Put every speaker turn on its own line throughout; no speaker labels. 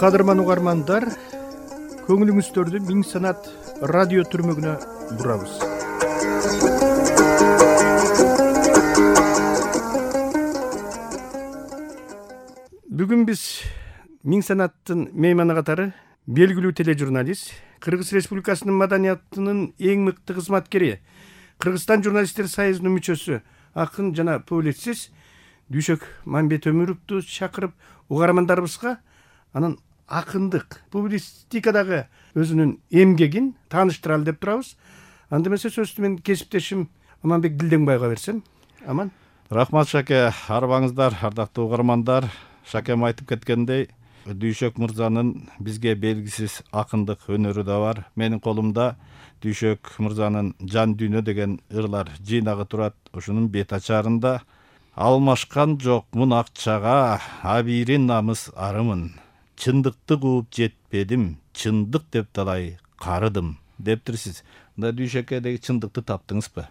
Кадырман угармандар, көңүлүңүздөрдү Миң Санат радио түрмөгүнө бурабыз. Бүгүн биз Миң Санаттын мейманы катары белгилүү тележурналист, Кыргыз Республикасынын маданиятынын эң мыкты кызматкери, Кыргызстан журналисттер союзунун мүчөсү, акын жана публицист Дүйшөк Мамбет Өмүровду чакырып, угармандарыбызга анын акындык, публистикадагы өзүнүн эмгегин тааныштыралы деп турабыз. Анда эмесе сөздү мен кесиптешим Аманбек Дилдеңбайга берсем. Аман.
Рахмат Шаке, арбаңыздар, ардактуу угармандар. Шакем айтып кеткендей, Дүйшөк мырзанын бизге белгисиз акындык өнөрү да бар. Менин колумда Дүйшөк мырзанын Жан дүйнө деген ырлар жыйнагы турат. Ушунун бет ачарында алмашкан жокмун акчага, абийирин намыс арымын. Чындыкты кууп жетпедим, чындык деп талай карыдым дептирсиз. Мында Дүйшөккө деги чындыкты таптыңызбы?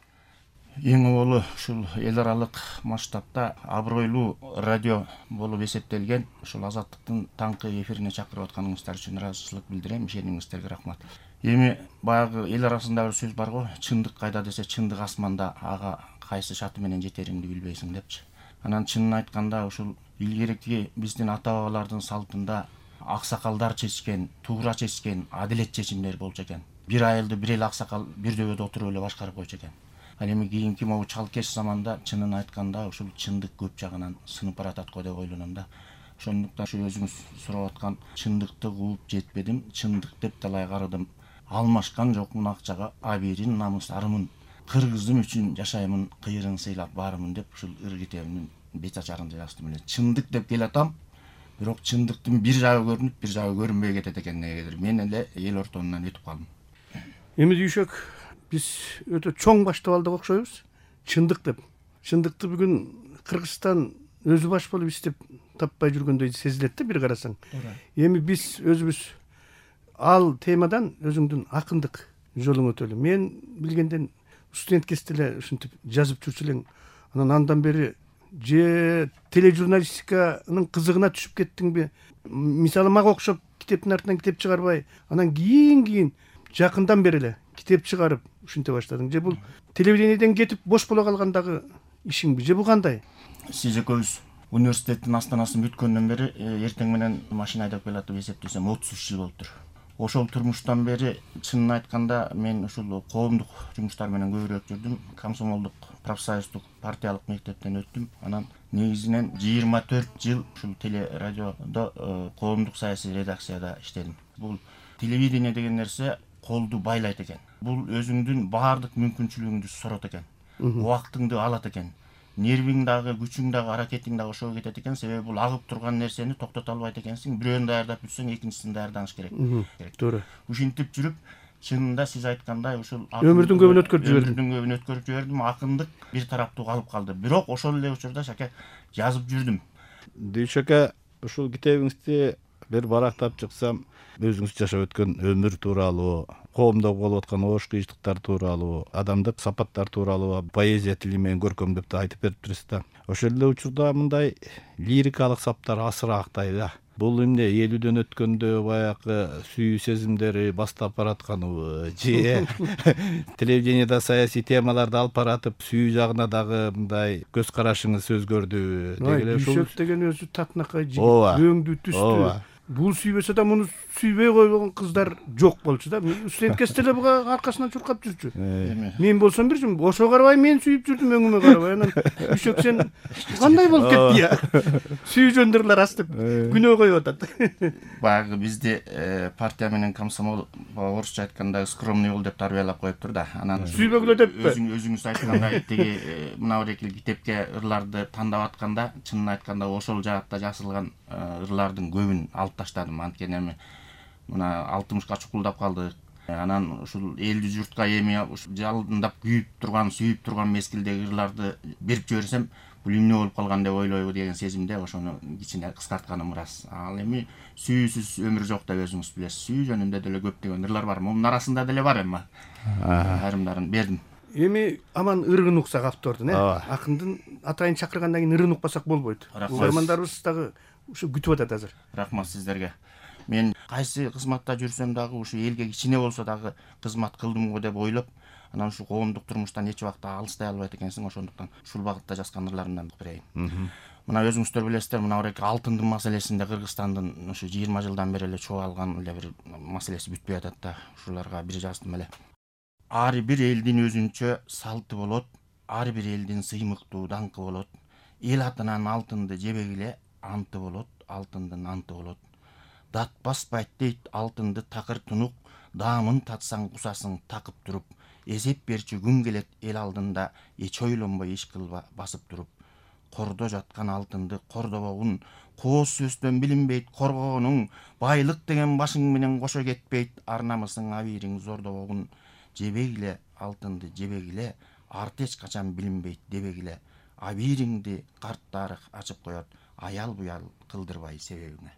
Эң оболу ушул эл аралык масштабта абройлуу радио болуп эсептелген ушул Азаттыктын таңкы эфирине чакырып атканыңыздар үчүн ыраазычылык билдирем. Ишенимиңиздерге рахмат. Эми баягы эл арасындагы сөз бар го, чындык кайда десе, чындык асманда, ага кайсы шаты менен жетериңди билбейсиң депчи. Анан чынын айтканда ушул илгерки биздин ата бабалардын салтында аксакалдар чечкен, туура чечкен адилет чечимдер болчу экен. Бир айылды бир эле аксакал бир дөбөдө отуруп эле башкарып койчу экен. Ал эми кийинки могу чалкеш заманда чынын айтканда ушул чындык көп жагынан сынып баратат го деп ойлоном да. Ошондуктан ушу өзүңүз сурап аткан чындыкты кууп жетпедим, чындык деп талай карыдым. Алмашкан жокмун акчага, абийирин намыс арымын. Кыргызым үчүн жашаймын, кыйырын сыйлап баарымын деп ушул ыр китебинин бет ачарында жаздым эле. Чындык деп келатам, бирок чындыктын бир жагы көрүнүп, бир жагы көрүнбөй кетет экен негедир. Мен эле эл ортонунан өтүп калдым.
Эми Дүйшөк, биз өтө чоң баштап алдык окшойбуз. Чындык деп. Чындыкты бүгүн Кыргызстан өзү баш болуп иштеп таппай жүргөндөй сезилет да бир карасаң. Эми биз өзүбүз ал темадан өзүңдүн акындык жолуң өтөлү. Мен билгенден студент кезде эле ушинтип жазып жүрчү элең. Андан бери же тележурналистиканын кызыгына түшүп кеттиңби? Мисалы мага окшоп китептин артынан китеп чыгарбай, анан кийин жакындан бери эле китеп чыгарып ушинте баштадың. Же бул телевидениеден кетип бош боло калгандагы ишиңби? Же бул кандай?
Сиз экөөбүз университеттин астанасын бүткөндөн бери эртең менен машина айдап келатып эсептесем 33 жыл болуптур. Ошол турмуштан бери чынын айтканда мен ушул коомдук жумуштар менен көбүрөөк жүрдүм. Комсомолдук, профсоюздук, партиялык мектептен өттүм. Анан негизинен 24 жыл ушул телерадиодо коомдук саясий редакцияда иштедим. Бул телевидение деген нерсе колду байлайт экен. Бул өзүңдүн баардык мүмкүнчүлүгүңдү сорот экен. Убактыңды алат экен. Нервиң дагы, күчүң дагы, аракетиң дагы ошого кетет экен. Себеби бул агып турган нерсени токтото албайт экенсиң. Бирөөнү даярдап бүтсөң, экинчисин даярданыш керек.
Туура.
Ушинтип жүрүп, чынында сиз айткандай ушул
өмүрдүн көбүн өткөрүп жибердим.
Өмүрдүн көбүн өткөрүп жибердим. Акындык бир тараптуу калып калды. Бирок ошол эле учурда Шаке жазып жүрдүм.
Дүйшөкө, ушул китебиңизди бир барактап чыксам, өзүңүз жашап өткөн өмүр тууралуу, коомдо болуп аткан оош кыйчылыктар тууралуу, адамдык сапаттар тууралуу поэзия тили менен көркөмдөп да айтып бериптирсиз да. Ошол эле учурда мындай лирикалык саптар асыраактай да. Бул эмне элүүдөн өткөндө баягы сүйүү сезимдери бастап баратканыбы, же телевидениеда саясий темаларды алып баратып сүйүү жагына дагы мындай көз карашыңыз өзгөрдүбү?
Дүйшөк деген өзү татынакай жигит, өңдүү түстүү. Бул сүйбөсө да муну сүйбөй койгон кыздар жок болчу да. Студент кезде эле буга аркасынан чуркап жүрчү. Мен болсом бир жум, ошо карабай мен сүйүп жүрдүм, өңүмө карабай. Анан Дүйшөк сен кандай болуп кетти я? Сүйүү жөндөрлөр астып күнөө коюп атат.
Баягы бизди партия менен комсомол орусча айтканда скромный бол деп тарбиялап коюптур да. Анан
сүйбөгүлө деппи?
Өзүңүз айткандай тиги мына бирекил китепке ырларды тандап атканда, чынын айтканда ошол жаатта жазылган ырлардын көбүн алып таштадым. Анткени эми мына 60ка чукулдап калдык. Анан ушул элди журтка эми жалындап күйүп турган, сүйүп турган мезгилдеги ырларды берип жиберсем, бул эмне болуп калган деп ойлойбу деген сезимде ошону кичине кыскартканым ырас. Ал эми сүйүүсүз өмүр жок деп өзүңүз билесиз. Сүйүү жөнүндө деле көптөгөн ырлар бар. Мунун арасында деле бар эми. Айрымдарын бердим.
Эми аман ырын уксак автордун, акындын атайын чакыргандан кийин ырын укпасак болбойт. Угармандарыбыз дагы ушу күтүп атат азыр.
Рахмат сиздерге. Мен кайсы кызматта жүрсөм дагы ушу элге кичине болсо дагы кызмат кылдым го деп ойлоп, анан ушу коомдук турмуштан эч убакта алыстай албайт экенсиң. Ошондуктан ушул багытта жазган ырларымдан берейин. Мына өзүңүздөр билесиздер, мына ореки алтындын маселесинде Кыргызстандын ушу 20 жылдан бери эле чубалган эле бир маселеси бүтпөй атат да. Ушуларга бир жаздым эле. Ар бир элдин өзүнчө салты болот, ар бир элдин сыймыктуу даңкы болот. Эл атынан алтынды жебегиле, анты болот, алтындын анты болот. Дат баспайт дейт алтынды такыр тунук, даамын татсаң кусасың такып туруп. Эсеп берчү күн келет эл алдында, эч ойлонбой иш кылба басып туруп. Кордо жаткан алтынды кордобогун, кооз сөздөн билинбейт коргогонуң, байлык деген башың менен кошо кетпейт, ар намысың абийириң зордобогун. Жебегиле алтынды жебегиле, арты эч качан билинбейт дебегиле. Абийириңди карт тарых ачып коет, аял буял кылдырбай себебиңе.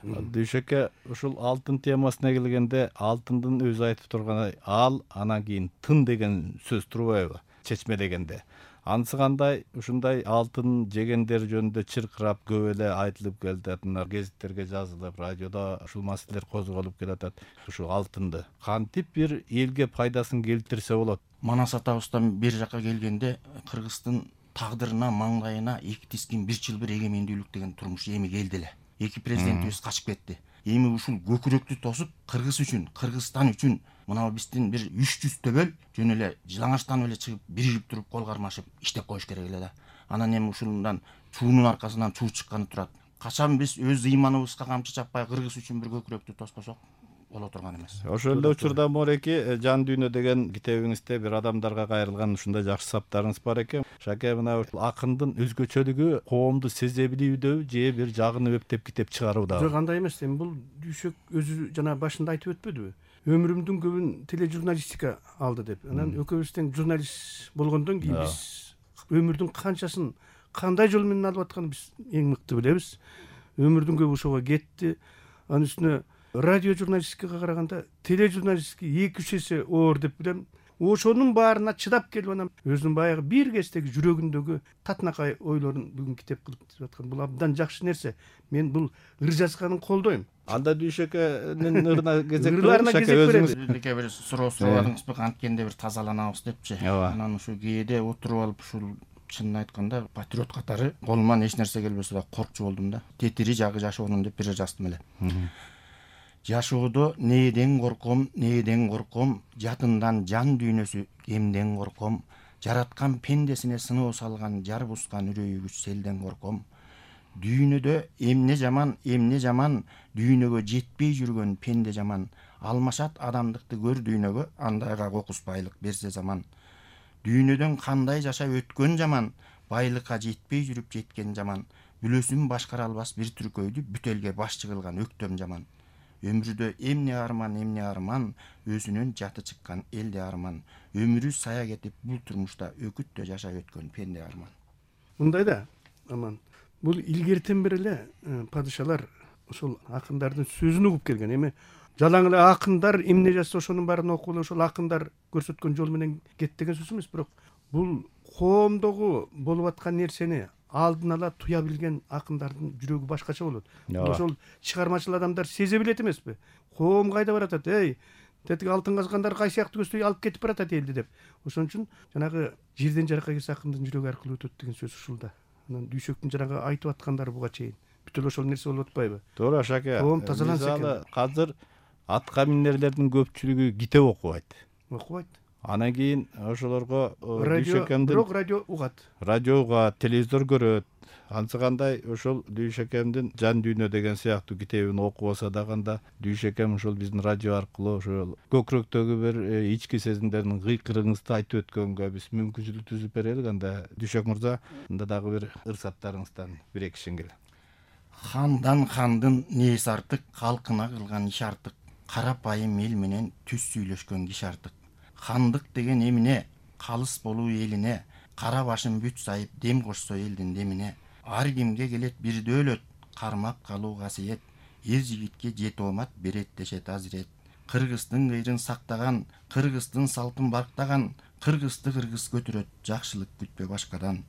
Дүйшөккө ушул алтын темасына келгенде, алтындын өзү айтып турганы ал, анан кийин тын деген сөз турбайбы? Чечмелегенде. Анысы кандай ушундай алтын жегендер жөнүндө чыркырап көп эле айтылып келатат, гезиттерге жазылып, радиодо ушул маселелер козголуп келатат. Ушул алтынды кантип бир элге пайдасын келтирсе болот?
Манас атабыздан бир жака келгенде, Кыргыздын тагдырына, маңдайына эки тискин бир чылбыр эгемендүүлүк деген турмуш эми келди эле. Эки президентибиз качып кетти. Эми ушул көкүрөктү тосуп, Кыргыз үчүн, Кыргызстан үчүн мына биздин бир 300 төбөл жөн эле жылаңачтан эле чыгып, биригип туруп, кол кармашып иштеп коюш керек эле да. Анан эми ушундан чуунун аркасынан чуу чыкканы турат. Качан биз өз ыйманыбызга камчы чаппай Кыргыз үчүн бир көкүрөктү тоспосок боло турган эмес.
Ошол эле учурда Мореки Жан дүйнө деген китебиңизде бир адамдарга кайрылган ушундай жакшы саптарыңыз бар экен. Шаке, мына акындын өзгөчөлүгү коомду сезе билүүдө же бир жагын өптөп китеп чыгарууда?
Жок, андай эмес. Эми бул Дүйшөк өзү жана башында айтып өтпөдүбү? Өмүрүмдүн көбүн тележурналистика алды деп. Анан экөөбүз тең журналист болгондон кийин биз өмүрдүн канчасын кандай жол менен алып атканын биз эң мыкты билебиз. Өмүрдүн көбү ошого кетти. Анын үстүнө радио журналистикага караганда тележурналистика 2-3 эсе оор деп билем. Ошонун баарына чыдап келип анан өзүнүн баягы бир кездеги жүрөгүндөгү татынакай ойлорун бүгүн китеп кылып түзүп аткан. Бул абдан жакшы нерсе. Мен бул ыр жазганын колдойм.
Анда Дүйшөкөнүн ырына кезек
Ырларына кезек беребиз.
Бирдеке бир суроо сурабадыңызбы, канткенде бир тазаланабыз депчи. Анан ушу кээде отуруп алып ушул чынын айтканда патриот катары колуман эч нерсе келбесе да коркчу болдум да. Тетири жагы жашоонун деп бир жаздым эле. Жашоодо нээден корком, нээден корком, жатындан жан дүйнөсү эмден корком, жараткан пендесине сыноо салган жар бускан үрөйүгүч селден корком. Дүйнөдө эмне жаман, дүйнөгө жетпей жүргөн пенде жаман, алмашат адамдыкты көр дүйнөгө, андайга кокус байлык берсе заман. Дүйнөдөн кандай жашап өткөн жаман, байлыкка жетпей жүрүп жеткен жаман, бүлөсүн башкара албас бир түркөйдү бүт элге башчы кылган өктөм жаман. Өмүрдө эмне арман, өзүнүн жаты чыккан элде арман. Өмүрү сая кетип бул турмушта өкүттө жашап өткөн пенде арман.
Мындай да, аман. Бул илгертен бери эле падышалар ошол акындардын сөзүн угуп келген. Эми жалаң эле акындар эмне жазса ошонун баарын окуп эле ошол акындар көрсөткөн жол менен кет деген сөз эмес, бирок бул коомдогу болуп аткан нерсени алдын ала туя билген акындардын жүрөгү башкача болот. Ошол чыгармачыл адамдар сезе билет эмеспи? Коом кайда баратат? Тетиги алтын казгандар кай сыяктуу көздөй алып кетип баратат элди деп. Ошон үчүн жанагы жерден жаракка келсе акындын жүрөгү аркылуу өтөт деген сөз ушулда. Анан Дүйшөктүн жанагы айтып аткандары буга чейин бүт эле ошол нерсе болуп атпайбы?
Туура, Шаке.
Коом тазаланса экен.
Азыр атка минерлердин көпчүлүгү китеп окубайт.
Окубайт.
Анан кийин ошолорго
бирок радио угат.
Радио угат, телевизор көрөт. Анысы кандай ошол Дүйшөкемдин Жан дүйнө деген сыяктуу китебин окубаса дагы Дүйшөкем ошол биздин радио аркылуу ошол көкүрөктөгү бир ички сезимдердин кыйкырыгыңызды айтып өткөнгө биз мүмкүнчүлүк түзүп берелик. Анда Дүйшөк мырза, анда дагы бир ырсаттарыңыздан бир эки шеңгел.
Хандан хандын нээси артык, калкына кылган иш артык, карапайым эл менен түз сүйлөшкөн киши артык. Хандык деген эмне, калыс болуу элине, кара башын бүт сайып дем кошсо элдин демине. Ар кимге келет бир дөөлөт, кармап калуу касиет, эр жигитке жет оомат берет дешет азирет. Кыргыздын кыйрын сактаган, кыргыздын салтын барктаган, кыргызды кыргыз көтөрөт, жакшылык күтпө башкадан.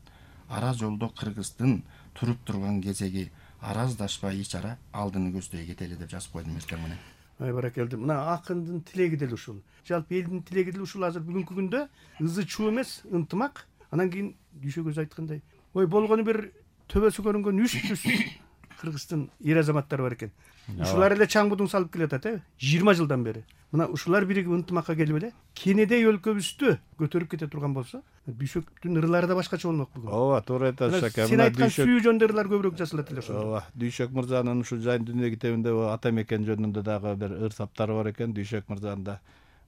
Ара жолдо кыргыздын туруп турган кезеги, араздашпай ич ара алдыны көздөй кетели деп жазып койдум эртең менен.
Баракелди. Мына акындын тилеги деле ушул. Жалпы элдин тилеги деле ушул. Азыр бүгүнкү күндө ызы чуу эмес, ынтымак. Анан кийин Дүйшөк өзү айткандай, ой болгону бир төбөсү көрүнгөн 300 Кыргыздын эр азаматтары бар экен. Ушулар эле чаңбудун салып келатат, 20 жылдан бери. Мына ушулар биригип ынтымакка келип эле кенедей өлкөбүздү көтөрүп кете турган болсо, Дүйшөктүн ырлары да башкача болмок бүгүн.
Ооба, туура айтасыз ака.
Сен айткан сүйүү жөнүндө ырлар көбүрөөк жазылат эле ошондо.
Ооба, Дүйшөк мырзанын ушул Жайын дүйнө китебинде ата мекен жөнүндө дагы бир ыр саптары бар экен. Дүйшөк мырзанын да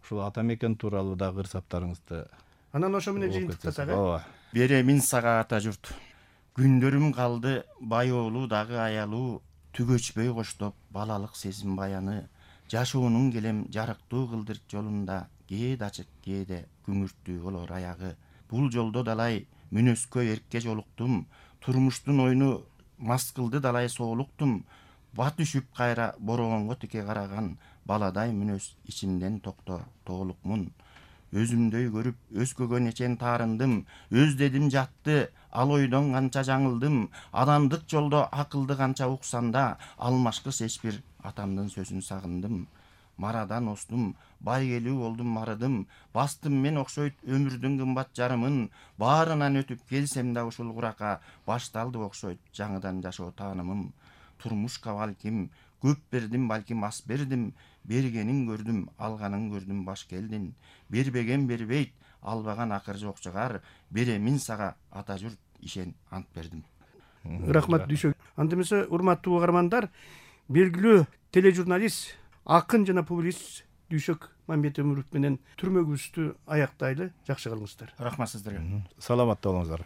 ушул ата мекен тууралуу дагы ыр саптарыңызды.
Анан ошо менен жыйынтыктасак,
Ооба.
Беремин сага ата журт. Күндөрүм калды байоолуу дагы аялуу, түгөчпөй коштоп балалык сезим баяны. Жашоонун келем жарыктуу кылдыр жолунда, кээде ачык, кээде күңүрттүү болор аягы. Бул жолдо далай мүнөскө эркке жолуктум, турмуштун ойну мас кылды далай соолуктум. Бат үшүп кайра бороонго тике караган, баладай мүнөз ичимден токто тоолукмун. Өзүмдөй көрүп өзгөгө нечен таарындым, өздедим жатты, ал ойдон канча жаңылдым. Адамдык жолдо акылды канча уксанда, алмашкы эч бир атамдын сөзүн сагындым. Марадан остум, байгелүү болдум марыдым, бастым мен окшойт өмүрдүн кымбат жарымын. Баарынан өтүп келсем да ушул курака, башталды окшойт жаңыдан жашоо таанымым. Турмушка балким көп бердим, балким ас бердим, бергенин көрдүм, алганын көрдүм баш келдин. Бербеген бербейт, албаган акыр жок чыгар, беремин сага ата журт, ишен ант бердим.
Рахмат Дүйшөк. Анда эмесе, урматтуу угармандар, белгилүү тележурналист, акын жана публицист Дүйшөк Мамбет Өмүров менен түрмөгүбүздү аяктайлы. Жакшы кылыңыздар.
Рахмат сиздерге.
Саламатта болуңуздар.